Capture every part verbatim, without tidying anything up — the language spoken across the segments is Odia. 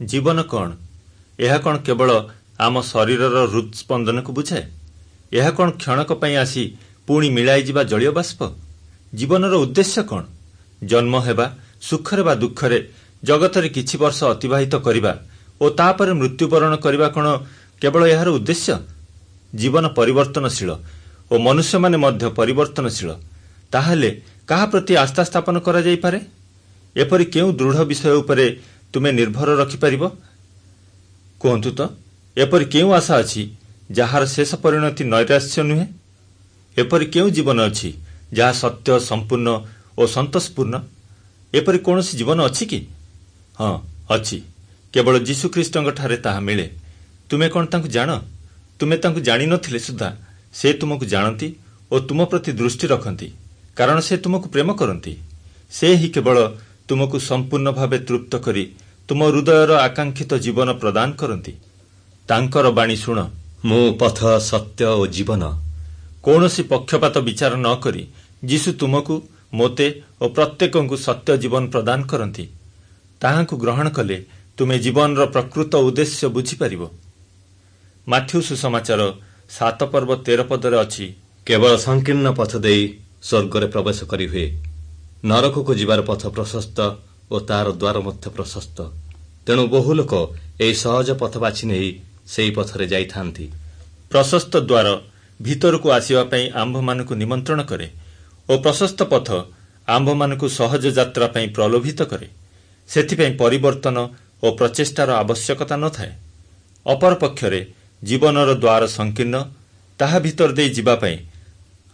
ଜୀବନ କ'ଣ? ଏହା କ'ଣ କେବଳ ଆମ ଶରୀରର ହୃଦସ୍ପନ୍ଦନକୁ ବୁଝାଏ? ଏହା କ'ଣ କ୍ଷଣକ ପାଇଁ ଆସି ପୁଣି ମିଳାଇଯିବା ଜଳୀୟ ବାଷ୍ପ? ଜୀବନର ଉଦ୍ଦେଶ୍ୟ କ'ଣ? ଜନ୍ମ ହେବା, ସୁଖରେ ବା ଦୁଃଖରେ ଜଗତରେ କିଛି ବର୍ଷ ଅତିବାହିତ କରିବା ଓ ତାପରେ ମୃତ୍ୟୁବରଣ କରିବା କ'ଣ କେବଳ ଏହାର ଉଦ୍ଦେଶ୍ୟ? ଜୀବନ ପରିବର୍ତ୍ତନଶୀଳ ଓ ମନୁଷ୍ୟମାନେ ମଧ୍ୟ ପରିବର୍ତ୍ତନଶୀଳ। ତାହେଲେ କାହା ପ୍ରତି ଆସ୍ଥା ସ୍ଥାପନ କରାଯାଇପାରେ? ଏପରି କେଉଁ ଦୃଢ଼ ବିଷୟ ଉପରେ ତୁମେ ନିର୍ଭର ରଖିପାରିବ? କୁହନ୍ତୁ ତ, ଏପରି କେଉଁ ଆଶା ଅଛି ଯାହାର ଶେଷ ପରିଣତି ନୈରାଶ୍ୟ ନୁହେଁ? ଏପରି କେଉଁ ଜୀବନ ଅଛି ଯାହା ସତ୍ୟ, ସମ୍ପୂର୍ଣ୍ଣ ଓ ସନ୍ତୋଷପୂର୍ଣ୍ଣ? ଏପରି କୌଣସି ଜୀବନ ଅଛି କି? ହଁ, ଅଛି। କେବଳ ଯୀଶୁଖ୍ରୀଷ୍ଟଙ୍କଠାରେ ତାହା ମିଳେ। ତୁମେ କ'ଣ ତାଙ୍କୁ ଜାଣ? ତୁମେ ତାଙ୍କୁ ଜାଣିନଥିଲେ ସୁଦ୍ଧା ସେ ତୁମକୁ ଜାଣନ୍ତି ଓ ତୁମ ପ୍ରତି ଦୃଷ୍ଟି ରଖନ୍ତି, କାରଣ ସେ ତୁମକୁ ପ୍ରେମ କରନ୍ତି। ସେ ହିଁ କେବଳ ତୁମକୁ ସମ୍ପୂର୍ଣ୍ଣ ଭାବେ ତୃପ୍ତ କରି ତୁମ ହୃଦୟର ଆକାଂକ୍ଷିତ ଜୀବନ ପ୍ରଦାନ କରନ୍ତି। ତାଙ୍କର ବାଣୀ ଶୁଣ, ମୁଁ ପଥ, ସତ୍ୟ ଓ ଜୀବନ। କୌଣସି ପକ୍ଷପାତ ବିଚାର ନ କରି ଯୀଶୁ ତୁମକୁ, ମୋତେ ଓ ପ୍ରତ୍ୟେକଙ୍କୁ ସତ୍ୟ ଜୀବନ ପ୍ରଦାନ କରନ୍ତି। ତାହାଙ୍କୁ ଗ୍ରହଣ କଲେ ତୁମେ ଜୀବନର ପ୍ରକୃତ ଉଦ୍ଦେଶ୍ୟ ବୁଝିପାରିବ। ମାଥ୍ୟୁ ସୁସମାଚାର ସାତ ପର୍ବ ତେର ପଦରେ ଅଛି, କେବଳ ସଂକୀର୍ଣ୍ଣ ପଥ ଦେଇ ସ୍ୱର୍ଗରେ ପ୍ରବେଶ କରିହୁଏ। ନରକକୁ ଯିବାର ପଥ ପ୍ରଶସ୍ତ ଓ ତାର ଦ୍ୱାର ମଧ୍ୟ ପ୍ରଶସ୍ତ। ତେଣୁ ବହୁ ଲୋକ ଏହି ସହଜ ପଥ ବାଛି ନେଇ ସେହି ପଥରେ ଯାଇଥାନ୍ତି। ପ୍ରଶସ୍ତ ଦ୍ୱାର ଭିତରକୁ ଆସିବା ପାଇଁ ଆମ୍ଭମାନଙ୍କୁ ନିମନ୍ତ୍ରଣ କରେ ଓ ପ୍ରଶସ୍ତ ପଥ ଆମ୍ଭମାନଙ୍କୁ ସହଜ ଯାତ୍ରା ପାଇଁ ପ୍ରଲୋଭିତ କରେ। ସେଥିପାଇଁ ପରିବର୍ତ୍ତନ ଓ ପ୍ରଚେଷ୍ଟାର ଆବଶ୍ୟକତା ନଥାଏ। ଅପରପକ୍ଷରେ ଜୀବନର ଦ୍ୱାର ସଂକୀର୍ଣ୍ଣ, ତାହା ଭିତର ଦେଇ ଯିବା ପାଇଁ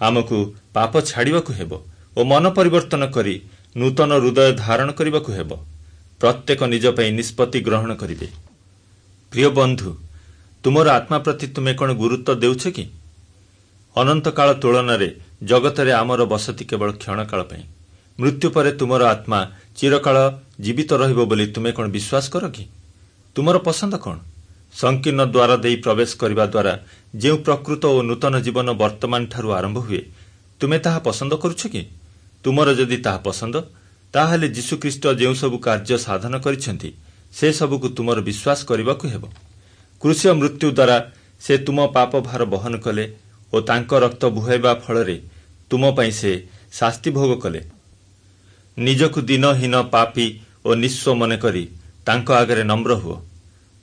ଆମକୁ ପାପ ଛାଡ଼ିବାକୁ ହେବ ଓ ମନ ପରିବର୍ତ୍ତନ କରି ନୂତନ ହୃଦୟ ଧାରଣ କରିବାକୁ ହେବ। ପ୍ରତ୍ୟେକ ନିଜ ପାଇଁ ନିଷ୍ପତ୍ତି ଗ୍ରହଣ କରିବେ। ପ୍ରିୟ ବନ୍ଧୁ, ତୁମର ଆତ୍ମା ପ୍ରତି ତୁମେ କ'ଣ ଗୁରୁତ୍ୱ ଦେଉଛ କି? ଅନନ୍ତକାଳ ତୁଳନାରେ ଜଗତରେ ଆମର ବସତି କେବଳ କ୍ଷଣକାଳ ପାଇଁ। ମୃତ୍ୟୁ ପରେ ତୁମର ଆତ୍ମା ଚିରକାଳ ଜୀବିତ ରହିବ ବୋଲି ତୁମେ କ'ଣ ବିଶ୍ୱାସ କର କି? ତୁମର ପସନ୍ଦ କ'ଣ? ସଂକୀର୍ଣ୍ଣ ଦ୍ୱାର ଦେଇ ପ୍ରବେଶ କରିବା ଦ୍ୱାରା ଯେଉଁ ପ୍ରକୃତ ଓ ନୂତନ ଜୀବନ ବର୍ତ୍ତମାନଠାରୁ ଆରମ୍ଭ ହୁଏ, ତୁମେ ତାହା ପସନ୍ଦ କରୁଛ କି? ତୁମର ଯଦି ତାହା ପସନ୍ଦ, ତାହେଲେ ଯୀଶୁଖ୍ରୀଷ୍ଟ ଯେଉଁସବୁ କାର୍ଯ୍ୟ ସାଧନ କରିଛନ୍ତି ସେସବୁକୁ ତୁମର ବିଶ୍ୱାସ କରିବାକୁ ହେବ। କ୍ରୁଶୀୟ ମୃତ୍ୟୁ ଦ୍ୱାରା ସେ ତୁମ ପାପ ଭାର ବହନ କଲେ ଓ ତାଙ୍କ ରକ୍ତ ବୁହାଇବା ଫଳରେ ତୁମ ପାଇଁ ସେ ଶାସ୍ତି ଭୋଗ କଲେ। ନିଜକୁ ଦୀନହୀନ, ପାପୀ ଓ ନିଃସ୍ୱ ମନେ କରି ତାଙ୍କ ଆଗରେ ନମ୍ର ହୁଅ।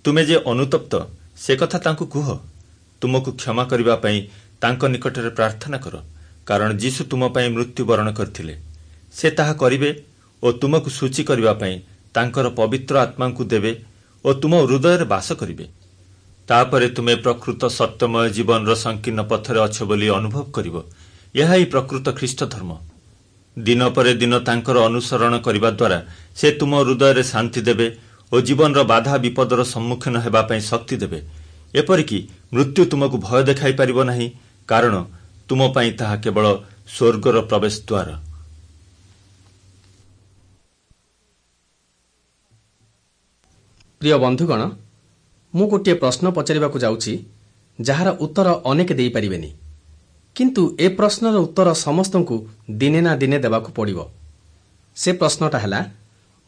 ତୁମେ ଯେ ଅନୁତପ୍ତ ସେ କଥା ତାଙ୍କୁ କୁହ। ତୁମକୁ କ୍ଷମା କରିବା ପାଇଁ ତାଙ୍କ ନିକଟରେ ପ୍ରାର୍ଥନା କର, କାରଣ ଯୀଶୁ ତୁମ ପାଇଁ ମୃତ୍ୟୁବରଣ କରିଥିଲେ। ସେ ତାହା କରିବେ ଓ ତୁମକୁ ସୂଚୀ କରିବା ପାଇଁ ତାଙ୍କର ପବିତ୍ର ଆତ୍ମାଙ୍କୁ ଦେବେ ଓ ତୁମ ହୃଦୟରେ ବାସ କରିବେ। ତାପରେ ତୁମେ ପ୍ରକୃତ ସତ୍ୟମୟ ଜୀବନର ସଂକୀର୍ଣ୍ଣ ପଥରେ ଅଛ ବୋଲି ଅନୁଭବ କରିବ। ଏହା ହିଁ ପ୍ରକୃତ ଖ୍ରୀଷ୍ଟ ଧର୍ମ। ଦିନ ପରେ ଦିନ ତାଙ୍କର ଅନୁସରଣ କରିବା ଦ୍ୱାରା ସେ ତୁମ ହୃଦୟରେ ଶାନ୍ତି ଦେବେ ଓ ଜୀବନର ବାଧା ବିପଦର ସମ୍ମୁଖୀନ ହେବା ପାଇଁ ଶକ୍ତି ଦେବେ। ଏପରିକି ମୃତ୍ୟୁ ତୁମକୁ ଭୟ ଦେଖାଇ ପାରିବ ନାହିଁ, କାରଣ ତୁମ ପାଇଁ ତାହା କେବଳ ସ୍ୱର୍ଗର ପ୍ରବେଶ ଦ୍ୱାର। ପ୍ରିୟ ବନ୍ଧୁଗଣ, ମୁଁ ଗୋଟିଏ ପ୍ରଶ୍ନ ପଚାରିବାକୁ ଯାଉଛି ଯାହାର ଉତ୍ତର ଅନେକ ଦେଇପାରିବେନି, କିନ୍ତୁ ଏ ପ୍ରଶ୍ନର ଉତ୍ତର ସମସ୍ତଙ୍କୁ ଦିନେ ନା ଦିନେ ଦେବାକୁ ପଡ଼ିବ। ସେ ପ୍ରଶ୍ନଟା ହେଲା,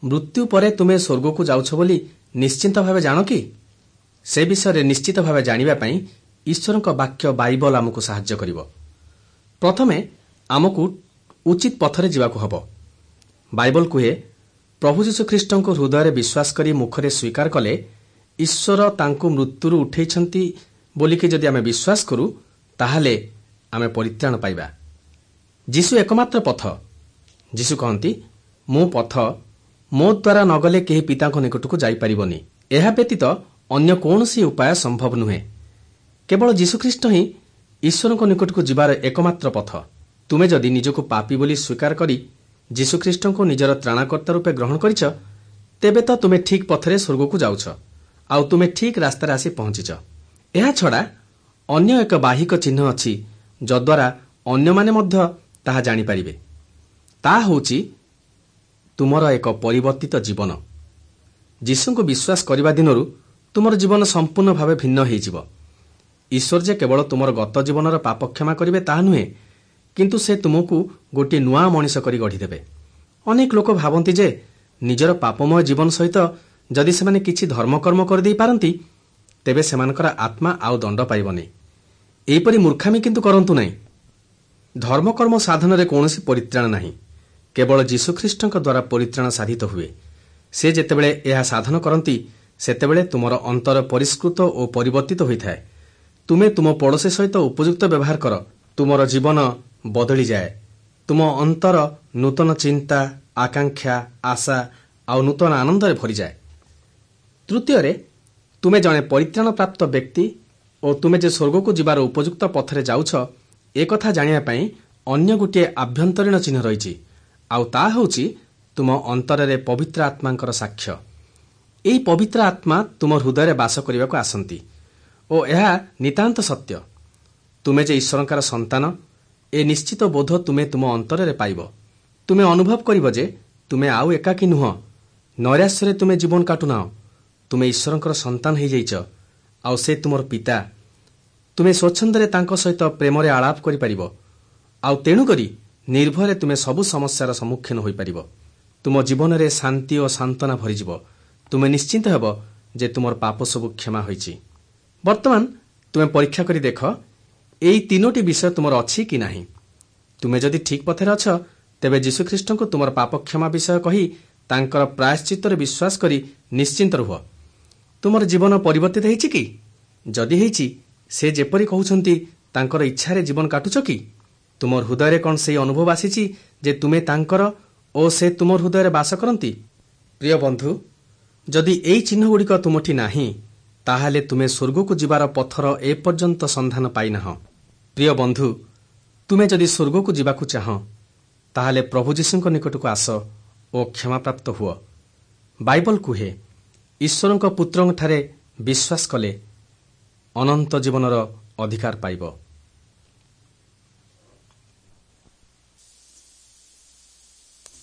ମୃତ୍ୟୁ ପରେ ତୁମେ ସ୍ୱର୍ଗକୁ ଯାଉଛ ବୋଲି ନିଶ୍ଚିନ୍ତ ଭାବେ ଜାଣ କି? ସେ ବିଷୟରେ ନିଶ୍ଚିତ ଭାବେ ଜାଣିବା ପାଇଁ ଈଶ୍ୱରଙ୍କ ବାକ୍ୟ ବାଇବଲ ଆମକୁ ସାହାଯ୍ୟ କରିବ। ପ୍ରଥମେ ଆମକୁ ଉଚିତ ପଥରେ ଯିବାକୁ ହେବ। ବାଇବଲ କୁହେ, ପ୍ରଭୁ ଯୀଶୁଖ୍ରୀଷ୍ଟଙ୍କୁ ହୃଦୟରେ ବିଶ୍ୱାସ କରି ମୁଖରେ ସ୍ୱୀକାର କଲେ ଈଶ୍ୱର ତାଙ୍କୁ ମୃତ୍ୟୁରୁ ଉଠେଇଛନ୍ତି ବୋଲିକି ଯଦି ଆମେ ବିଶ୍ୱାସ କରୁ, ତାହେଲେ ଆମେ ପରିତ୍ରାଣ ପାଇବା। ଯୀଶୁ ଏକମାତ୍ର ପଥ। ଯୀଶୁ କହନ୍ତି, ମୁଁ ପଥ, ମୋ ଦ୍ୱାରା ନଗଲେ କେହି ପିତାଙ୍କ ନିକଟକୁ ଯାଇପାରିବନି। ଏହା ବ୍ୟତୀତ ଅନ୍ୟ କୌଣସି ଉପାୟ ସମ୍ଭବ ନୁହେଁ। କେବଳ ଯୀଶୁଖ୍ରୀଷ୍ଟ ହିଁ ଈଶ୍ୱରଙ୍କ ନିକଟକୁ ଯିବାର ଏକମାତ୍ର ପଥ। ତୁମେ ଯଦି ନିଜକୁ ପାପୀ ବୋଲି ସ୍ୱୀକାର କରି ଯୀଶୁଖ୍ରୀଷ୍ଟଙ୍କୁ ନିଜର ତ୍ରାଣକର୍ତ୍ତା ରୂପେ ଗ୍ରହଣ କରିଛ, ତେବେ ତ ତୁମେ ଠିକ୍ ପଥରେ ସ୍ୱର୍ଗକୁ ଯାଉଛ ଆଉ ତୁମେ ଠିକ୍ ରାସ୍ତାରେ ଆସି ପହଞ୍ଚିଛ। ଏହାଛଡ଼ା ଅନ୍ୟ ଏକ ବାହିକ ଚିହ୍ନ ଅଛି ଯଦ୍ୱାରା ଅନ୍ୟମାନେ ମଧ୍ୟ ତାହା ଜାଣିପାରିବେ। ତାହା ହେଉଛି ତୁମର ଏକ ପରିବର୍ତ୍ତିତ ଜୀବନ। ଯୀଶୁଙ୍କୁ ବିଶ୍ୱାସ କରିବା ଦିନରୁ ତୁମର ଜୀବନ ସମ୍ପୂର୍ଣ୍ଣ ଭାବେ ଭିନ୍ନ ହୋଇଯିବ। ଈଶ୍ୱର ଯେ କେବଳ ତୁମର ଗତ ଜୀବନର ପାପ କ୍ଷମା କରିବେ ତାହା ନୁହେଁ, କିନ୍ତୁ ସେ ତୁମକୁ ଗୋଟିଏ ନୂଆ ମଣିଷ କରି ଗଢ଼ିଦେବେ। ଅନେକ ଲୋକ ଭାବନ୍ତି ଯେ ନିଜର ପାପମୟ ଜୀବନ ସହିତ ଯଦି ସେମାନେ କିଛି ଧର୍ମକର୍ମ କରିଦେଇ ପାରନ୍ତି, ତେବେ ସେମାନଙ୍କର ଆତ୍ମା ଆଉ ଦଣ୍ଡ ପାଇବନି। ଏହିପରି ମୂର୍ଖାମି କିନ୍ତୁ କରନ୍ତୁ ନାହିଁ। ଧର୍ମକର୍ମ ସାଧନରେ କୌଣସି ପରିତ୍ରାଣ ନାହିଁ। କେବଳ ଯୀଶୁଖ୍ରୀଷ୍ଟଙ୍କ ଦ୍ୱାରା ପରିତ୍ରାଣ ସାଧିତ ହୁଏ। ସେ ଯେତେବେଳେ ଏହା ସାଧନ କରନ୍ତି, ସେତେବେଳେ ତୁମର ଅନ୍ତର ପରିଷ୍କୃତ ଓ ପରିବର୍ତ୍ତିତ ହୋଇଥାଏ। ତୁମେ ତୁମ ପଡ଼ୋଶୀ ସହିତ ଉପଯୁକ୍ତ ବ୍ୟବହାର କର, ତୁମର ଜୀବନ ବଦଳିଯାଏ। ତୁମ ଅନ୍ତର ନୂତନ ଚିନ୍ତା, ଆକାଂକ୍ଷା, ଆଶା ଆଉ ନୂତନ ଆନନ୍ଦରେ ଭରିଯାଏ। ତୃତୀୟରେ, ତୁମେ ଜଣେ ପରିତ୍ରାଣପ୍ରାପ୍ତ ବ୍ୟକ୍ତି ଓ ତୁମେ ଯେ ସ୍ୱର୍ଗକୁ ଯିବାର ଉପଯୁକ୍ତ ପଥରେ ଯାଉଛ, ଏକଥା ଜାଣିବା ପାଇଁ ଅନ୍ୟ ଗୋଟିଏ ଆଭ୍ୟନ୍ତରୀଣ ଚିହ୍ନ ରହିଛି, ଆଉ ତାହା ହେଉଛି ତୁମ ଅନ୍ତରରେ ପବିତ୍ର ଆତ୍ମାଙ୍କର ସାକ୍ଷ୍ୟ। ଏହି ପବିତ୍ର ଆତ୍ମା ତୁମ ହୃଦୟରେ ବାସ କରିବାକୁ ଆସନ୍ତି ଓ ଏହା ନିତାନ୍ତ ସତ୍ୟ। ତୁମେ ଯେ ଈଶ୍ୱରଙ୍କର ସନ୍ତାନ, ଏ ନିଶ୍ଚିତ ବୋଧ ତୁମେ ତୁମ ଅନ୍ତରରେ ପାଇବ। ତୁମେ ଅନୁଭବ କରିବ ଯେ ତୁମେ ଆଉ ଏକାକୀ ନୁହଁ, ନୈରାଶ୍ୟରେ ତୁମେ ଜୀବନ କାଟୁନାହ। ତୁମେ ଈଶ୍ୱରଙ୍କର ସନ୍ତାନ ହୋଇଯାଇଛ ଆଉ ସେ ତୁମର ପିତା। ତୁମେ ସ୍ୱଚ୍ଛନ୍ଦରେ ତାଙ୍କ ସହିତ ପ୍ରେମରେ ଆଳାପ କରିପାରିବ ଆଉ ତେଣୁକରି ନିର୍ଭୟରେ ତୁମେ ସବୁ ସମସ୍ୟାର ସମ୍ମୁଖୀନ ହୋଇପାରିବ। ତୁମ ଜୀବନରେ ଶାନ୍ତି ଓ ସାନ୍ତ୍ୱନା ଭରିଯିବ। ତୁମେ ନିଶ୍ଚିନ୍ତ ହେବ ଯେ ତୁମର ପାପ ସବୁ କ୍ଷମା ହୋଇଛି। ବର୍ତ୍ତମାନ ତୁମେ ପରୀକ୍ଷା କରି ଦେଖ, ଏଇ ତିନୋଟି ବିଷୟ ତୁମର ଅଛି କି ନାହିଁ। ତୁମେ ଯଦି ଠିକ୍ ପଥରେ ଅଛ, ତେବେ ଯୀଶୁଖ୍ରୀଷ୍ଟଙ୍କୁ ତୁମର ପାପ କ୍ଷମା ବିଷୟ କହି ତାଙ୍କର ପ୍ରାୟଶ୍ଚିତ୍ତରେ ବିଶ୍ୱାସ କରି ନିଶ୍ଚିନ୍ତ ରୁହ। ତୁମର ଜୀବନ ପରିବର୍ତ୍ତିତ ହେଇଛି କି? ଯଦି ହେଇଛି, ସେ ଯେପରି କହୁଛନ୍ତି ତାଙ୍କର ଇଚ୍ଛାରେ ଜୀବନ କାଟୁଛ କି? ତୁମ ହୃଦୟରେ କ'ଣ ସେଇ ଅନୁଭବ ଆସିଛି ଯେ ତୁମେ ତାଙ୍କର ଓ ସେ ତୁମ ହୃଦୟରେ ବାସ କରନ୍ତି? ପ୍ରିୟ ବନ୍ଧୁ, ଯଦି ଏଇ ଚିହ୍ନଗୁଡ଼ିକ ତୁମଠି ନାହିଁ, ତାହେଲେ ତୁମେ ସ୍ୱର୍ଗକୁ ଯିବାର ପଥର ଏପର୍ଯ୍ୟନ୍ତ ସନ୍ଧାନ ପାଇନାହ। ପ୍ରିୟ ବନ୍ଧୁ, ତୁମେ ଯଦି ସ୍ୱର୍ଗକୁ ଯିବାକୁ ଚାହଁ, ତାହେଲେ ପ୍ରଭୁ ଯୀଶୁଙ୍କ ନିକଟକୁ ଆସ ଓ କ୍ଷମାପ୍ରାପ୍ତ ହୁଅ। ବାଇବଲ କୁହେ, ଈଶ୍ୱରଙ୍କ ପୁତ୍ରଙ୍କଠାରେ ବିଶ୍ୱାସ କଲେ ଅନନ୍ତ ଜୀବନର ଅଧିକାର ପାଇବ।